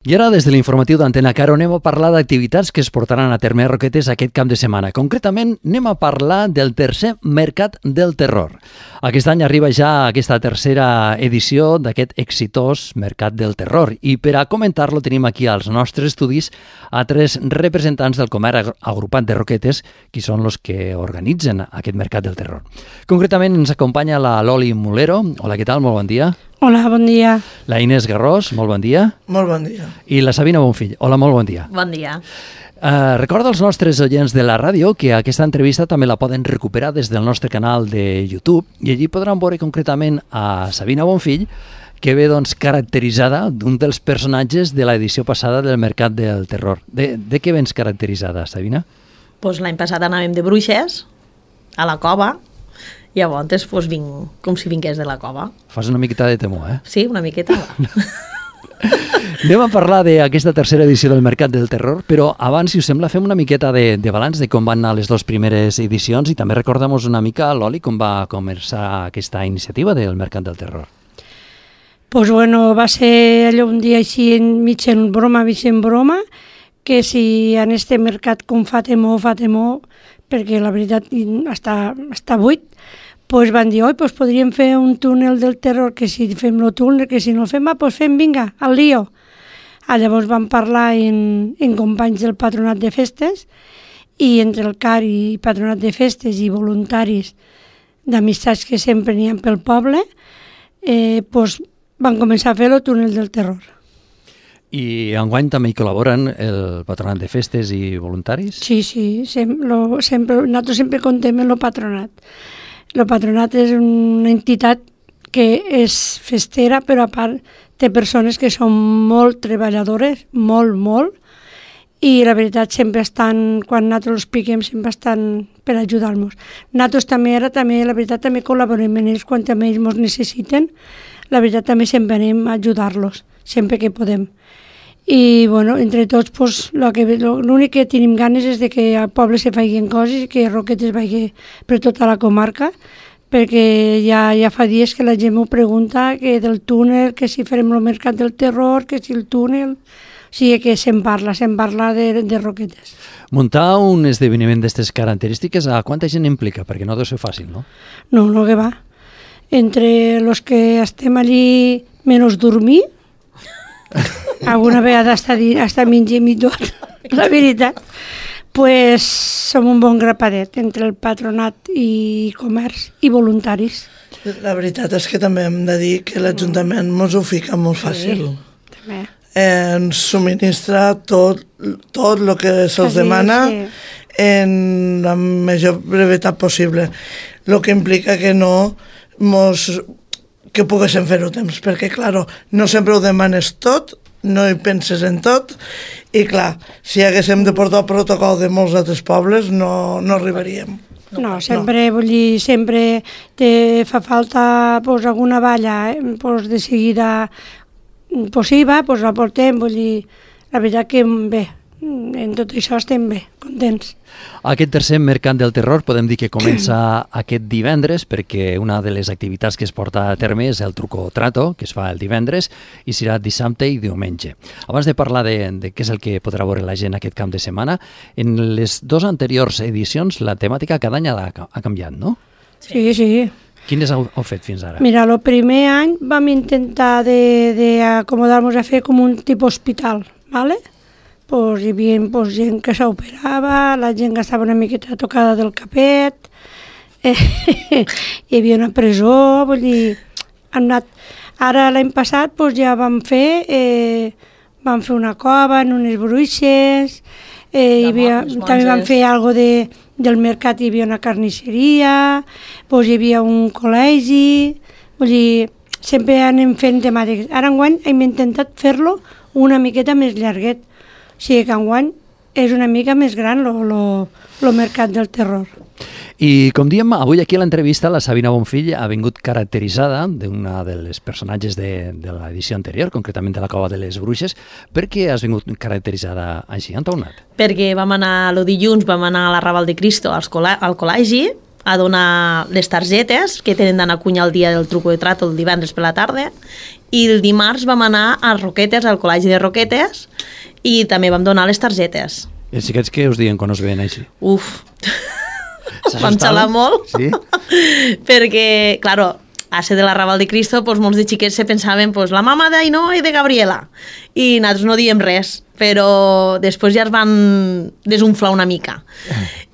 I ara, des de l'informatiu d'Antena Caro, anem a parlar d'activitats que es portaran a terme a Roquetes aquest cap de setmana. Concretament, anem a parlar del tercer Mercat del Terror. Aquest any arriba ja aquesta tercera edició d'aquest exitós Mercat del Terror. I per a comentar-lo tenim aquí als nostres estudis a tres representants del comerç agrupat de Roquetes, qui són els que organitzen aquest Mercat del Terror. Concretament ens acompanya la Loli Mulero. Hola, què tal? Molt bon dia. Hola, bon dia. La Inés Garrós, molt bon dia. Molt bon dia. I la Sabina Bonfill. Hola, molt bon dia. Bon dia. Recorda als nostres oients de la ràdio que aquesta entrevista també la poden recuperar des del nostre canal de YouTube i allí podran veure concretament a Sabina Bonfill, que ve doncs, caracteritzada d'un dels personatges de l'edició passada del Mercat del Terror. De què vens caracteritzada, Sabina? Pues l'any passat anàvem de bruixes a la cova. Llavors, pues, vinc com si vingués de la cova. Fas una miqueta de temor, eh? Sí, una miqueta. Anem a parlar d'aquesta tercera edició del Mercat del Terror, però abans, si us sembla, fem una miqueta de balanç de com van anar les dues primeres edicions i també recordem-nos una mica, Loli, com va començar aquesta iniciativa del Mercat del Terror. Pues bueno, va ser allò un dia així mig en broma, que si en este mercat com fa temor, perquè la veritat està buit, pues van dir, pues podríem fer un túnel del terror, que si fem el túnel, que si no el fem, pues fem, vinga, al lío. Llavors vam parlar en companys del Patronat de Festes i entre el CAR i Patronat de Festes i voluntaris d'amistats que sempre n'hi ha pel poble, pues van començar a fer el túnel del terror. I enguany també hi col·laboren el Patronat de Festes i voluntaris? Sí, nosaltres sempre contem amb el Patronat. El Patronat és una entitat que és festera, però a part té persones que són molt treballadores, molt, i la veritat sempre estan, quan nosaltres ho expliquem, sempre estan per ajudar-nos. Nosaltres també la veritat, també col·laborem amb ells quan també ells ens necessiten. La veritat, també sempre anem a ajudar-los, sempre que podem. I, bueno, entre tots, pues, l'únic que tenim ganes és de que al poble se facin coses i que Roquetes vagi per tota la comarca, perquè ja fa dies que la gent m'ho pregunta, que del túnel, que si farem el Mercat del Terror, que si el túnel... O sigui que se'n parla de Roquetes. Muntar un esdeveniment d'aquestes característiques, a quanta gent implica? Perquè no deu ser fàcil, no? No, que va. Entre els que estem allí menys dormir, alguna vegada hasta mengem i tot, la veritat, pues som un bon grapadet entre el patronat i comerç i voluntaris. La veritat és que també hem de dir que l'Ajuntament ens ho fica molt fàcil. També. Ens subministra tot el que se'ls demana en la major brevetat possible. El que implica que que poguéssim fer-ho temps, perquè, clar, no sempre ho demanes tot, no hi penses en tot, i, clar, si haguéssim de portar el protocol de molts altres pobles, no arribaríem. No, vull dir, sempre te fa falta alguna valla, de seguida, sí, la portem, vull dir, la veritat que bé, en tot això estem bé, contents. Aquest tercer Mercat del Terror podem dir que comença aquest divendres, perquè una de les activitats que es porta a terme és el truco o trato, que es fa el divendres, i serà dissabte i diumenge. Abans de parlar de què és el que podrà veure la gent aquest cap de setmana, en les dues anteriors edicions la temàtica cada any ha canviat, no? Sí. Quines heu fet fins ara? Mira, el primer any vam intentar d'acomodar-nos a fer com un tipus hospital, ¿vale? Pues hi havia gent que s'operava, la gent que estava una miqueta tocada del capet, hi havia una presó, vull dir, han anat... Ara l'any passat ja vam fer una cova en unes bruixes, també vam fer alguna cosa del mercat, hi havia una carnisseria, hi havia un col·legi, vull dir, sempre anem fent temàtiques. Ara enguany hem intentat fer-lo una miqueta més llarguet, o sigui que enguany és una mica més gran el Mercat del Terror. I com diem, avui aquí a l'entrevista la Sabina Bonfill ha vingut caracteritzada d'una de les personatges de l'edició anterior, concretament de la Cova de les Bruixes. Per què has vingut caracteritzada així? On t'ha anat? Perquè vam anar el dilluns, vam anar a la Raval de Cristo al col·legi, a donar les targetes que tenen d'anar a cunyar el dia del truco de trato el divendres per la tarda, i el dimarts vam anar a Roquetes, al col·legi de Roquetes, i també vam donar les targetes. I els xiquets què us diuen quan us veien així? Uf, vam xalar molt, sí? perquè, claro, a ser de la Raval de Cristo, pues, molts de xiquets se pensaven pues, la mama d'Ainoa i de Gabriela, i nosaltres no diem res, però després ja es van desunflar una mica.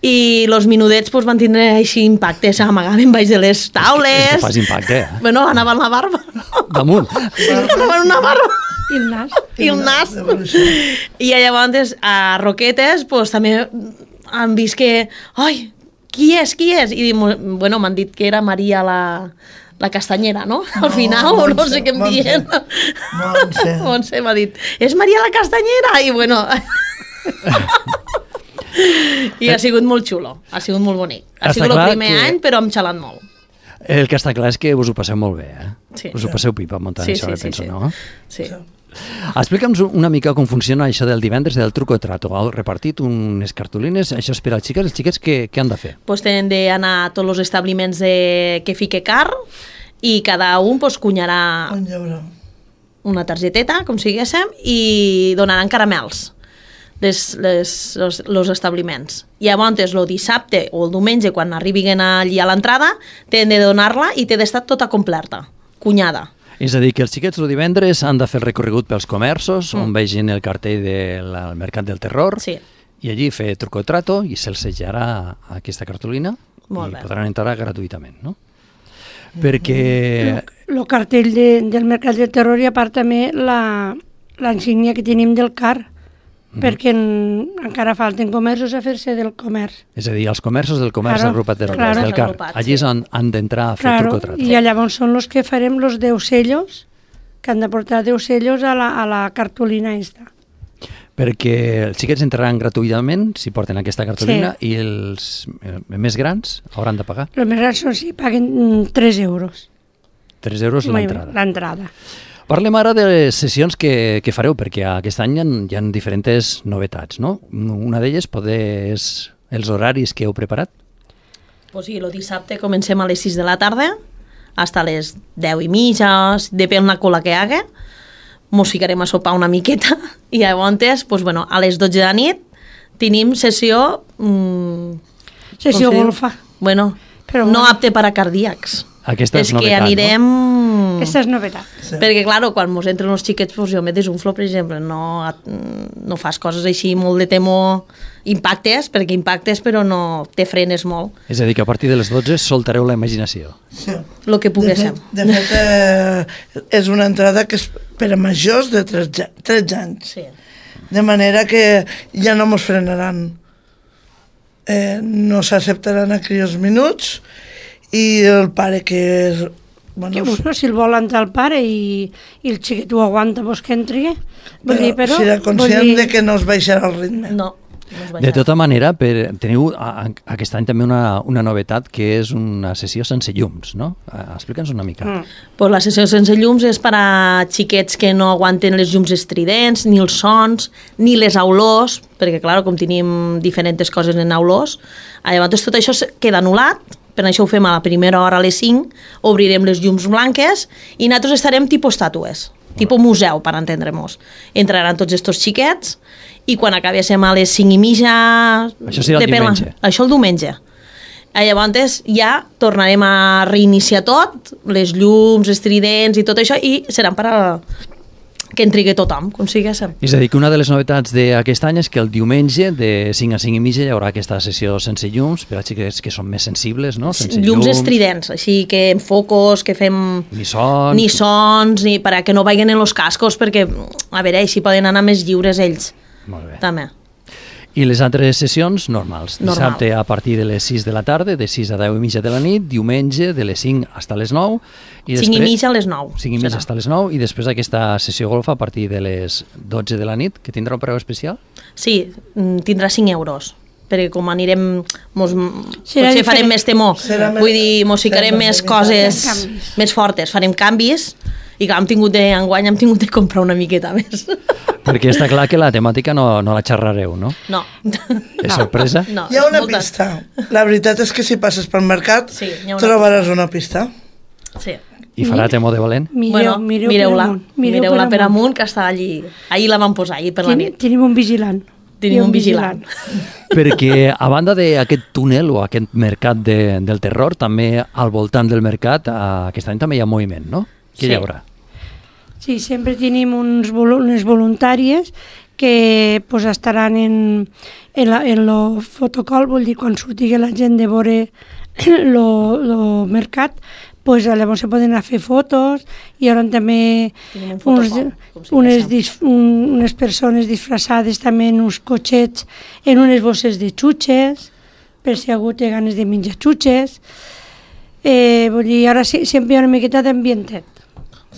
I els minudets pues, van tindre així impacte, s'amagaven baix de les taules. És que fas impacte, eh? Bueno, anaven la barba. Damunt. Anaven una barba. I el nas. I el nas. I llavors a Roquetes pues, també han vist que... Ai, qui és? I bueno, m'han dit que era Maria la castanyera, no? Al final, o no sé què em diuen. Montse m'ha dit, és Maria la castanyera! I bueno... I ha sigut molt xulo, ha sigut molt bonic. Ha sigut el primer any, però hem xalat molt. El que està clar és que us ho passeu molt bé, eh? Sí. Us ho passeu pipa muntant això, penso, no? Sí. Explica'ns una mica com funciona això del divendres del truco de trato. Heu repartit unes cartolines, això és per als xiquets. Els xiquets què han de fer? Pues tenen d'anar a tots els establiments que fique car i cada un pues, cunyarà una targeteta, com siguéssim, i donaran caramels els establiments. I llavors el dissabte o el diumenge, quan arribin allí a l'entrada, tenen de donar-la i té d'estar tota completa, cunyada. És a dir, que els xiquets el divendres han de fer el recorregut pels comerços, on vegin el cartell del Mercat del Terror, sí. I allí fer truco de trato i se'ls sellarà aquesta cartolina molt i bé. podran entrar gratuïtament, no? Perquè... El cartell del Mercat del Terror i a part també l'insígnia que tenim del CAR, perquè encara falten comerços a fer-se del comerç. És a dir, els comerços del comerç agrupat del CAR. Allí han d'entrar a fer truco de trato. I llavors són els que farem els 10 sellos, que han de portar 10 sellos a la cartolina esta. Perquè els xiquets entraran gratuïtament si porten aquesta cartolina i els més grans hauran de pagar. Els més grans són si paguen 3 euros. 3 euros l'entrada. L'entrada. Parlem ara de les sessions que fareu, perquè aquest any hi ha diferents novetats, no? Una d'elles és els horaris que heu preparat? Pues sí, el dissabte comencem a les 6 de la tarda, fins a les 10 i mitja, depèn la cola que hi hagi, mos ficarem a sopar una miqueta, i llavors, pues, bueno, a les 12 de la nit tenim sessió... Sessió golfa. Bueno, però no apte per a cardíacs. Aquesta és novetat, que anirem... Aquesta és novetat. Sí. Perquè, clar, quan mos entren els xiquets, pues, jo me desunflo, per exemple, no fas coses així molt de temor, impactes, perquè impactes, però no te frenes molt. És a dir, que a partir de les 12 soltareu la imaginació. Sí. Lo que poguéssim. De fet, és una entrada que és per a majors de 13 anys. Sí. De manera que ja no mos frenaran. No s'acceptaran a crios minuts i el pare que és... Bueno, si el vol entrar el pare i el xiquet ho aguanta, pues que entri. Però serà conscient de que no es baixarà el ritme. No. De tota manera, teniu aquest any també una novetat que és una sessió sense llums, no? Explica'ns una mica. Pues la sessió sense llums és per a xiquets que no aguanten les llums estridents, ni els sons, ni les olors, perquè, clar, com tenim diferents coses en olors, llavors tot això queda anul·lat. Per això ho fem a la primera hora a les 5, obrirem les llums blanques i nosaltres estarem tipus estàtues, tipus museu, per entendre-nos. Entraran tots estos xiquets i quan acabéssim a les 5 i mitja... Això serà el diumenge. Això el diumenge. Llavors ja tornarem a reiniciar tot, les llums, estridents i tot això, i seran per a que en trigui tothom, com siguéssim. És a dir, que una de les novetats d'aquest any és que el diumenge de 5 a 5 i mitja hi haurà aquesta sessió sense llums per a xiquets que són més sensibles, no? Sense llums estridents, així que en focus, que fem... Ni sons, ni per a que no vagin en els cascos, perquè, a veure, així poden anar més lliures ells. Molt bé. També. I les altres sessions normals. Dissabte a partir de les 6 de la tarda, de 6 a 10 i mitja de la nit, diumenge de les 5 fins a les 9. 5 i mitja a les 9. 5 i mitja fins a les 9 i després aquesta sessió golfa a partir de les 12 de la nit, que tindrà un preu especial? Sí, tindrà 5 euros, perquè com anirem, potser farem més temor, vull dir, mos ficarem més coses més fortes, farem canvis I clar, enguany hem tingut de comprar una miqueta més. Perquè està clar que la temàtica no la xerrareu, no? No. És sorpresa? No, Hi ha una pista. La veritat és que si passes pel mercat Sí, hi ha una trobaràs una pista. Sí. I farà temor de valent? Mireu-la. Mireu-la per amunt, que està allí. Ahir la vam posar, ahir per la nit. Tenim un vigilant. Tenim un vigilant. Perquè a banda d'aquest túnel o aquest mercat del terror, també al voltant del mercat, aquest any també hi ha moviment, no? Què hi haurà? Sí, sempre tenim unes voluntàries que pues, estaran en el fotocol, vull dir, quan surti la gent de veure el mercat, pues, llavors se poden anar a fer fotos, i ara també unes persones disfressades també en uns cotxets, en unes bosses de xutxes, per si algú té ganes de menjar xutxes. Vull dir, ara sempre hi ha una miqueta d'ambientet.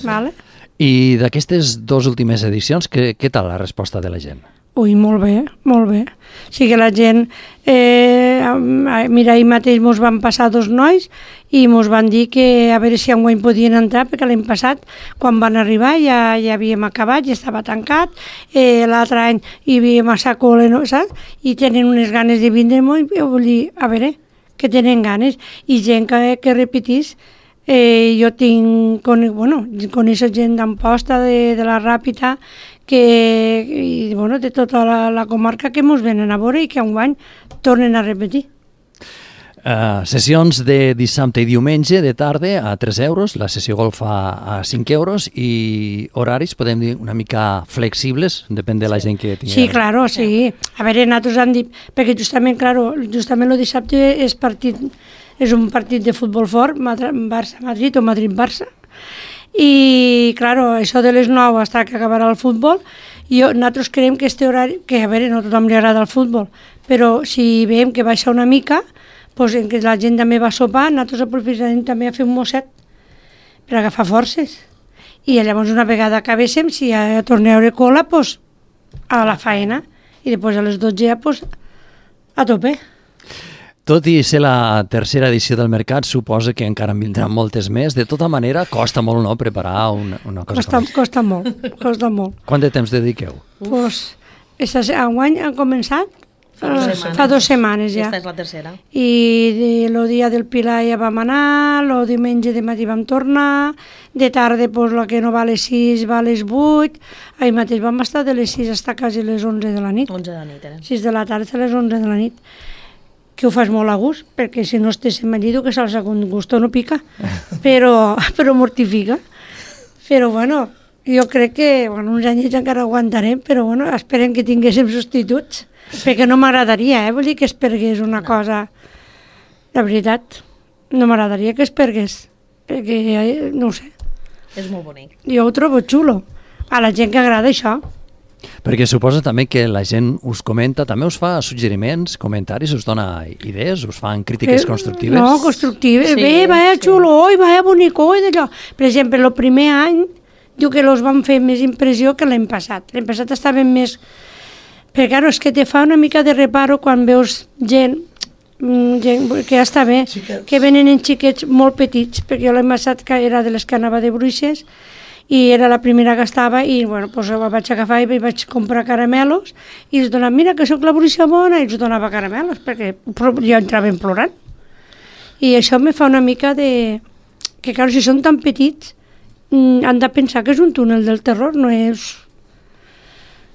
Vale? I d'aquestes 2 últimes edicions, què tal la resposta de la gent? Ui, molt bé, molt bé. O sigui, la gent... mira, ahir mateix mos van passar 2 nois i mos van dir que a veure si enguany podien entrar, perquè l'any passat, quan van arribar, ja havíem acabat, ja estava tancat. L'altre any hi havia massa cola, no, saps? I tenen unes ganes de vindre molt, vull dir, a veure, que tenen ganes. I gent que repetís. Jo coneixo gent d'Amposta, de la Ràpita, de tota la comarca que mos venen a veure i que enguany tornen a repetir. Sessions de dissabte i diumenge de tarda a 3 euros, la sessió golf a 5 euros i horaris, podem dir, una mica flexibles, depèn de la gent que tingui. Sí, claro, sí. A veure, nosaltres hem dit, perquè justament el dissabte és un partit de futbol fort, Barça-Madrid o Madrid-Barça, i, claro, això de les 9 fins que acabarà el futbol, nosaltres creiem que este horari, que a veure, no a tothom li agrada el futbol, però si veiem que baixa una mica, doncs en què la gent també va sopar, nosaltres aprofitarem també a fer un mosset per agafar forces. I llavors una vegada acabéssim, si ja torneu a veure cola, doncs a la faena, i després a les 12 ja, doncs a tope. Tot i ser la tercera edició del mercat, suposa que encara en vindran moltes més. De tota manera, costa molt, no?, preparar una cosa com costa molt, costa molt. Quant de temps dediqueu? Doncs, enguany han començat fa 2 setmanes ja. Aquesta és la tercera. I el dia del Pilar ja vam anar, el diumenge de matí vam tornar, de tarda, doncs, el que no va a les 6 va a les 8, ahir mateix vam estar de les 6 fins a quasi les 11 de la nit. 11 de la nit, 6 de la tarda a les 11 de la nit. Que ho fas molt a gust, perquè si no estéssim allí, que salsa con gusto no pica, però mortifica. Però bueno, jo crec que uns anyets encara aguantarem, però bueno, esperem que tinguéssim substituts, perquè no m'agradaria, vull dir que es pergués una cosa, la veritat, no m'agradaria que es pergués, perquè no ho sé. És molt bonic. Jo ho trobo xulo, a la gent que agrada això. Perquè suposa també que la gent us comenta, també us fa suggeriments, comentaris, us dona idees, us fan crítiques constructives? No, constructives. Sí, Vaya xulo, oi, vaya bonico, oi, d'allò. Per exemple, el primer any, diu que els van fer més impressió que l'any passat. L'any passat estaven més... Però, clar, és que te fa una mica de reparo quan veus gent que ja està bé, que venen en xiquets molt petits, perquè jo l'any passat que era de les que anava de bruixes, i era la primera que estava i bueno, doncs vaig agafar i vaig comprar caramelos i els donava, mira que sóc la bruixa bona, i els donava caramelos perquè jo entrava plorant. I això me fa una mica de... que clar, si són tan petits han de pensar que és un túnel del terror, no és...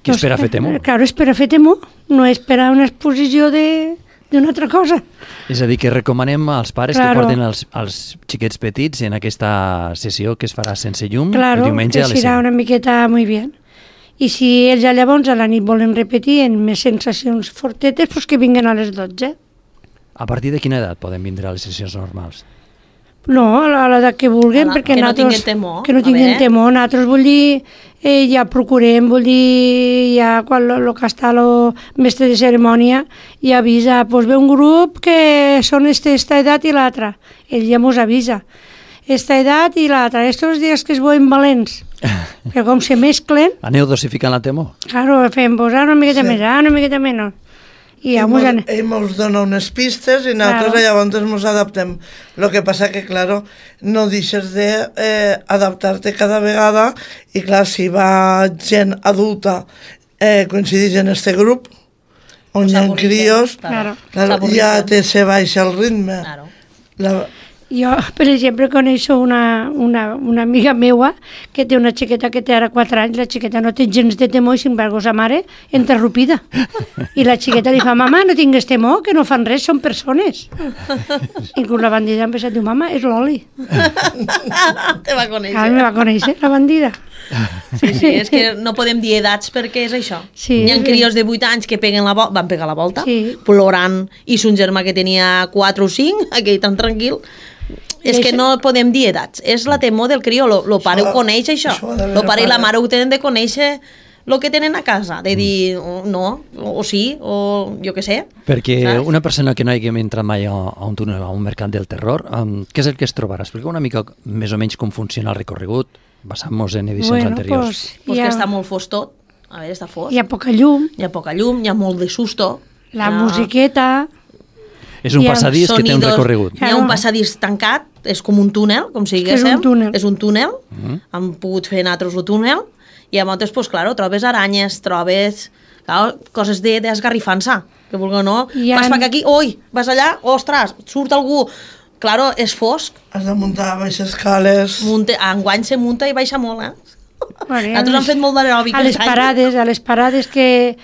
Que és per a fer temor. Clar, és per a fer temor, no és per a una exposició d'una altra cosa. És a dir, que recomanem als pares que porten els xiquets petits en aquesta sessió que es farà sense llum el diumenge a les 5. Claro, que serà una miqueta muy bien. I si ells ja llavors a la nit volen repetir en més sensacions fortetes, doncs que vinguen a les 12. A partir de quina edat poden vindre a les sessions normals? No, a l'edat que vulguin, perquè que no nosaltres... tinguin temor. Que no tinguin temor. Nosaltres, vull dir, ja procurem, vull dir, ja quan el que està el mestre de cerimònia ja avisa, doncs ve un grup que són esta edat i l'altra. Ell ja mos avisa. Esta edat i l'altra. Estos dies que es veuen valents. Però com se mesclen... Aneu dosificant la temor? Claro, fem, pues, una miqueta més, una miqueta menys. I ja mos ell ens dona unes pistes i nosaltres llavors ens adaptem. El que passa que, claro, no deixes d'adaptar-te cada vegada i, clar, si va gent adulta coincideix en este grup on hi ha crios, claro, ja se baixa el ritme. Claro. Jo, per exemple, coneixo una amiga meua que té una xiqueta que té ara 4 anys, la xiqueta no té gens de temor i, sin embargo, sa mare interrompida. I la xiqueta li fa, mama, no tingues temor, que no fan res, són persones. I quan la bandida ha pensat, diu, mama, és l'Oli. Te va conèixer. Clar, me va conèixer, la bandida. Sí, és que no podem dir edats perquè és això. Sí, hi ha crios de 8 anys que van pegar la volta, sí, plorant, i son germà que tenia 4 o 5, aquell tan tranquil. És que no podem dir edats, és la temor del crió, el pare ho coneix això, el pare i la mare ho tenen de conèixer el que tenen a casa, de dir no, o sí, o jo què sé. Perquè saps? una persona que no hagi entrat mai a un túnel, a un mercat del terror, què és el que es trobarà? Explica una mica més o menys com funciona el recorregut, basant-nos en edicions anteriors. Pues que està molt fos tot, a veure, està fos. Hi ha poca llum. Hi ha poca llum, hi ha molt de susto. La musiqueta. És un passadís que té un recorregut. Hi ha un passadís tancat, és com un túnel, com si diguéssim. És un túnel. Hem pogut fer nosaltres el túnel, i llavors, pues, claro, trobes aranyes, trobes coses d'esgarrifança, que vulgui o no. Vas per aquí, oi, vas allà, ostres, surt algú. Claro, és fosc. Has de muntar baixes escales. Enguany se munta i baixa molt, Bueno, nosaltres hem fet molt d'aeròbic. A les parades que...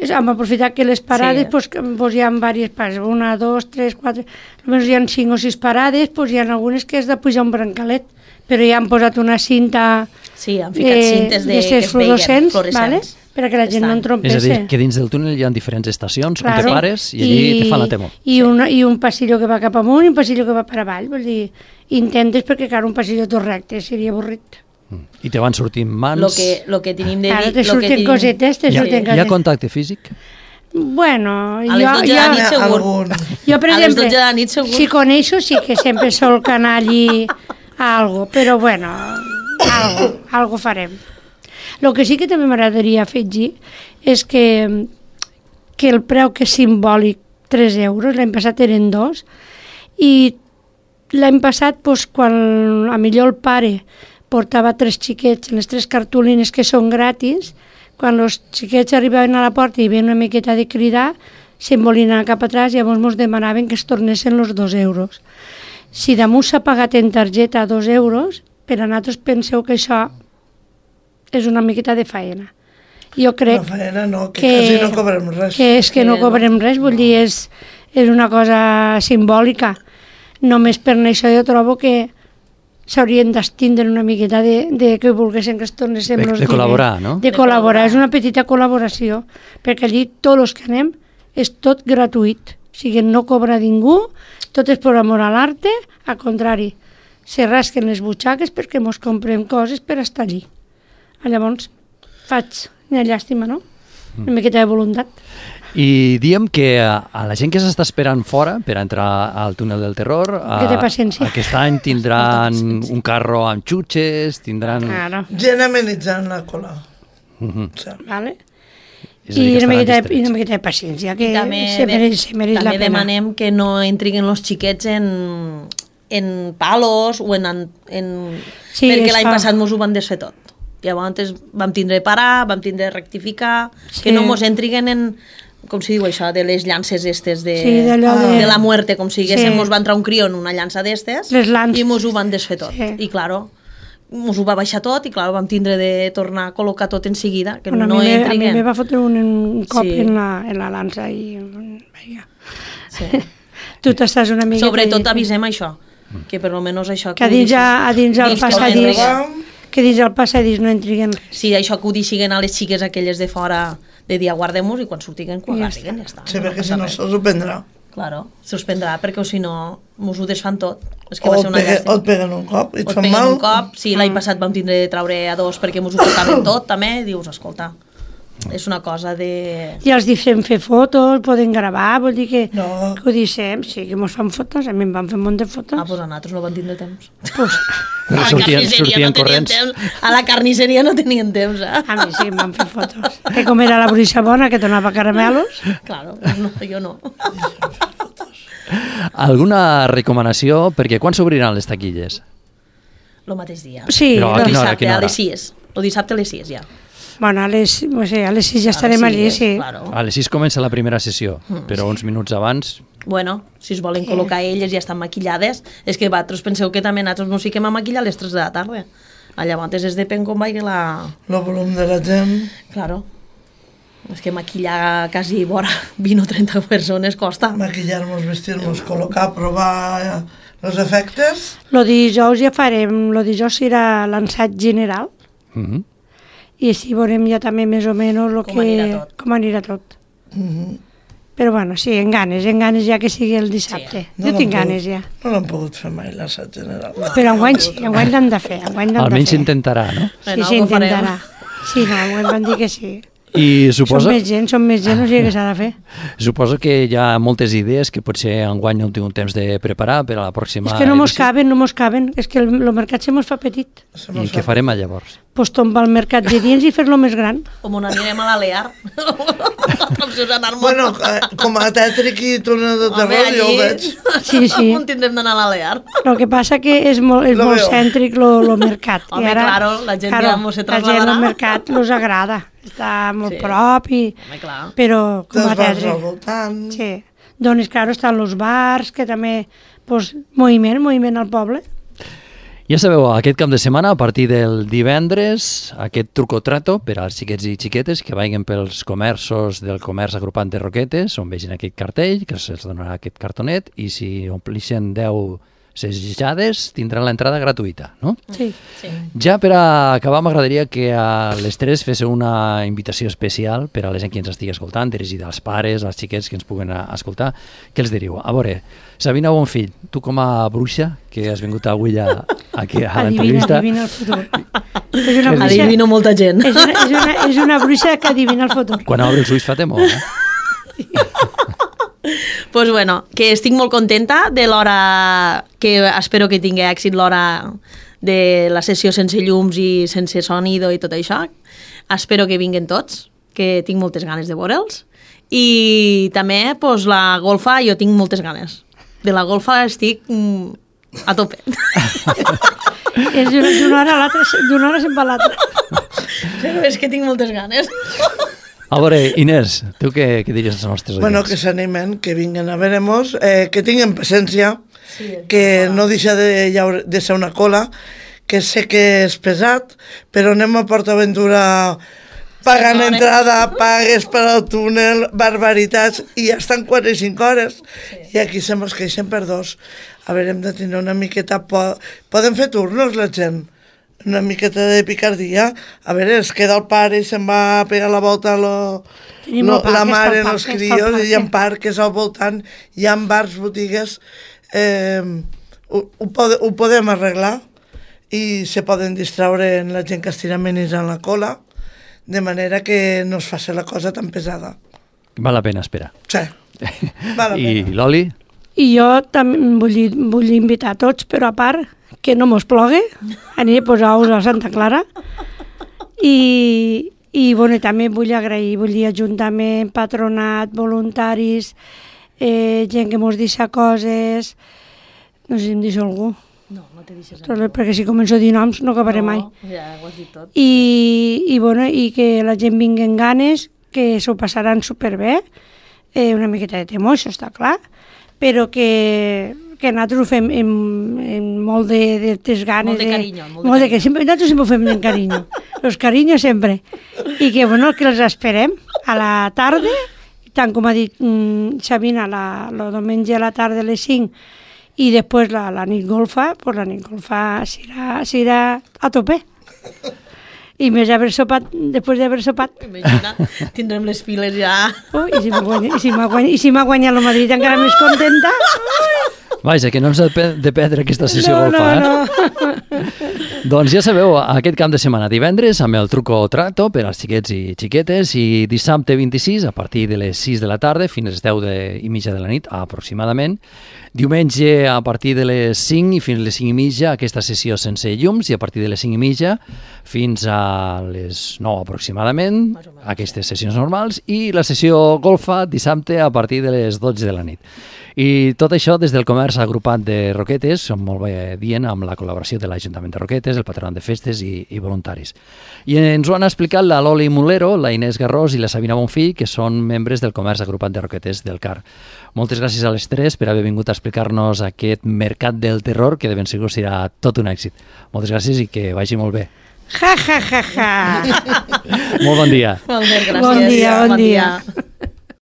Hem aprofitat que les parades pues hi ha diverses parades, 1, 2, 3, 4, almenys hi ha 5 o 6 parades, pues hi ha algunes que has de pujar un brancalet, però ja han posat una cinta han ficat cintes que es veien, fluorescents, perquè la gent no en trompesse. És a dir, que dins del túnel hi ha diferents estacions on te pares i allí te fan la temor. I un passillo que va cap amunt i un passillo que va per avall, vull dir, intentes perquè, clar, un passillo tot recte seria avorrit. I te van sortint mans... Lo que tenim de dir... Ara te surten cosetes, Hi ha contacte físic? Bueno, a les 12 de la nit segur. Jo, per exemple, a les 12 de la nit segur. Si coneixo, sí que sempre sol anar allí a algo, però bueno, algo farem. El que sí que també m'agradaria afegir és que el preu que és simbòlic, 3 euros, l'any passat eren 2, i l'any passat, doncs, quan a millor el pare portava 3 xiquets en les 3 cartolines que són gratis, quan els xiquets arribaven a la porta i hi havia una miqueta de cridar, se'n volien anar cap atràs i llavors ens demanaven que es tornessin els 2 euros. Si damunt s'ha pagat en targeta 2 euros, per a nosaltres penseu que això és una miqueta de faena. Jo crec faena no, que quasi no cobrem res. Que és que no cobrem res, vull dir, és una cosa simbòlica. Només per això jo trobo que s'haurien d'estindre una miqueta de que volguessin que es tornessin els diners. De col·laborar, no? De col·laborar, és una petita col·laboració, perquè allí tots els que anem és tot gratuït, o sigui, no cobra ningú, tot és per amor a l'arte, al contrari, se rasquen les butxaques perquè mos comprem coses per estar allí. Llavors, faig una llàstima, no? Una miqueta de voluntat. I diem que a la gent que s'està esperant fora per entrar al túnel del terror, que té paciència. Aquest any tindran un carro amb xutxes, tindran... Claro. Gent amenitzant la cola. Vale. I una miqueta de paciència, que se mereix la pena. També demanem que no entrin els xiquets en palos o sí, perquè l'any passat mos ho van desfer tot. Llavors vam tindre de parar, vam tindre de rectificar, que no mos entrin en, com si diu això, de les llances estes de la muerte, com si diguéssim, mos va entrar un crió en una llança d'estes i mos ho van desfer tot. I, claro, mos ho va baixar tot i, claro, vam tindre de tornar a col·locar tot en seguida, que no entrin. A mi me va fotre un cop en la lança i... Tu t'estàs una mica... Sobretot avisem això, que per almenys això... Que a dins el passadís... Que dins el passadís no entriguen res. Sí, això que ho deixiguen a les xiques aquelles de fora, de dir aguardem-nos i quan sortiguen, ja està. Sí, perquè si no se'ls ho prendrà. Claro, se'ls prendrà perquè si no mos ho desfan tot. És que va ser una llàstima. O et peguen un cop i et fan mal. O et peguen un cop, sí, l'any passat vam tindre de traure a 2 perquè mos ho portaven tot també, dius, escolta, és una cosa de... I els deixem fer fotos, poden gravar, vol dir que, No. que ho deixem, sí, que mos fan fotos, a mi em van fer un munt de fotos. Ah, doncs a nosaltres no van tindre temps. Pues, Però A la sortien carnisseria no tenien corrents. temps. A la carnisseria no tenien temps, a mi sí, em van fer fotos. Que com era la bruixa bona, que donava caramelos, Claro, pues no, jo no. Alguna recomanació? Perquè quan s'obriran les taquilles? Lo mateix dia. sí, Però a Lo quina hora, a dissabte, quina a hora? les 6. Lo dissabte a les 6, ja. bueno, a les 6 ja A estarem les allí, 6, sí. Claro. A les 6 comença la primera sessió, però uns minuts abans... Bueno, si es volen col·locar elles ja estan maquillades. És que vosaltres penseu que també nosaltres nos fiquem a maquillar a les 3 de la tarda. Llavors és depèn com vagi la... El volum de la gent. Claro. És que maquillar quasi vora 20 o 30 persones costa. Maquillar-nos, vestir-nos, col·locar, provar els efectes. Lo dijous ja farem, lo dijous serà l'ensat general, Mhm. i així veurem ja també més o menys lo Com anirà tot. com anirà tot. Però bueno, sí, en ganes ja que sigui el dissabte. No Jo l'han tinc pogut- ganes ja. No l'han pogut fer mai, l'assat general. Però enguany sí, enguany l'hem de fer, enguany l'hem de Almenys fer. s'intentarà, no? Sí, Bueno, sí, ho farem. intentarà. Sí, no, enguany van dir que sí. I Som suposo més gent, o sigui que s'ha de fer. que hi ha moltes idees que potser enguany no heu tingut temps de preparar per a la pròxima És que no mos edició. caben, no mos caben. És que el mercat se mos fa petit. I què farem llavors? Pues tombar el mercat de dins i fer-lo més gran. Com on anirem a l'Alear. L'opció és anar-nos... Bueno, com a tètric i túnel de terror, jo ho veig. Sí, sí. On tindrem d'anar a l'Alear? Lo que passa que és molt Lo molt veo. cèntric lo mercat. Home, claro, la gent ja mos se La gent trasladarà. al mercat los agrada. Està molt Sí. prop i... Home, clar. Però com a Dels bars al tètric. voltant. Sí. Doncs, claro, estan els bars, que també... Pues, moviment al poble. Ja sabeu, aquest cap de setmana, a partir del divendres, aquest truco-trato per als xiquets i xiquetes que vagin pels comerços del comerç agrupant de Roquetes, on vegin aquest cartell, que se'ls donarà aquest cartonet, i si omplixen 10 sesjades, tindran l'entrada gratuïta, no? Sí. Sí. Ja per a acabar, m'agradaria que a les 3 féssiu una invitació especial per a la gent que ens estigui escoltant, dirigida als pares, als xiquets que ens puguen escoltar. Què els diríeu? A veure, Sabina Bonfill, tu com a bruixa, que has vingut avui aquí a l'entrevista, Adivina el futur. És una bruixa, Adivino molta gent. és una bruixa que adivina el futur. quan obre els ulls fa temor, eh? Pues bueno, que estic molt contenta de l'hora que espero que tingui èxit l'hora de la sessió sense llums i sense sonido i tot això. Espero que vinguen tots, que tinc moltes ganes de veure'ls. I també pues, la golfa, jo tinc moltes ganes. De la golfa estic a tope. És d'una hora a l'altra, d'una hora se'n va a l'altra. Però és que tinc moltes ganes. A veure, Inés, tu què diries als nostres oients? Bueno, que s'animen, que vinguen a veure-mos, que tinguin paciència, Sí, que no deixa de ser una cola, que sé que és pesat, però anem a PortAventura pagant Sí, entrada, pagues per al túnel, barbaritats, i ja estan 4 i 5 hores. I aquí se mos queixen per 2. A veure, hem de tenir una miqueta... Poden fer turnos, la gent? Una miqueta de picardia. A veure, es queda el pare i se'n va a pegar la volta a Tenim el parc, la està al mare, parc, els està al crios, parc, hi ha sí. parques al voltant, hi ha bars, botigues... Ho podem arreglar i se poden distraure en la gent que estira menys en la cola, de manera que no es faci la cosa tan pesada. Val la pena esperar. Sí, val la I pena. l'Oli? I jo també vull invitar a tots, però a part, que no mos plogui, aniré a posar ous a Santa Clara. I bueno, també vull agrair, vull dir ajuntament, patronat, voluntaris, gent que mos deixa coses, no sé si em deixo algú, No, no te deixes perquè si començo a dir noms no acabaré mai. Ja ho has dit tot. I, bueno, i que la gent vingui amb ganes, que s'ho passaran superbé, una miqueta de temor, això està clar, però que nosaltres ho fem amb molt de ganes. Molt de carinyo, Nosaltres sempre ho fem amb carinyo, los cariños sempre. I que, bueno, que els esperem a la tarda, tant com ha dit Sabina, el diumenge a la tarda a les 5, i després la nit golfa, pues la nit golfa serà a tope. I més després d'haver sopat. Imagina, tindrem les files ja... I si m'ha guanyat el Madrid encara més contenta. Vaja, que no ens ha de perdre aquesta sessió golfa, eh? No. Doncs ja sabeu, aquest cap de setmana divendres amb el truco o trato per als xiquets i xiquetes i dissabte 26 a partir de les 6 de la tarda fins a les 10:30 de la nit aproximadament. Diumenge a partir de les 5 i fins a les 5:30 aquesta sessió sense llums i a partir de les 5:30 fins a les 9 aproximadament aquestes sessions normals i la sessió golfa dissabte a partir de les 12 de la nit. I tot això des del comerç agrupat de Roquetes, som molt bé dient, amb la col·laboració de l'Ajuntament de Roquetes, el Patronat de Festes i voluntaris. I ens ho han explicat la Loli Mulero, la Inés Garrós i la Sabina Bonfill, que són membres del comerç agrupat de Roquetes del CAR. Moltes gràcies a les tres per haver vingut a explicar-nos aquest mercat del terror, que de ben segur serà tot un èxit. Moltes gràcies i que vagi molt bé. Ja, ja, ja, ja. Molt bon dia. Molt bé, gràcies. Bon dia.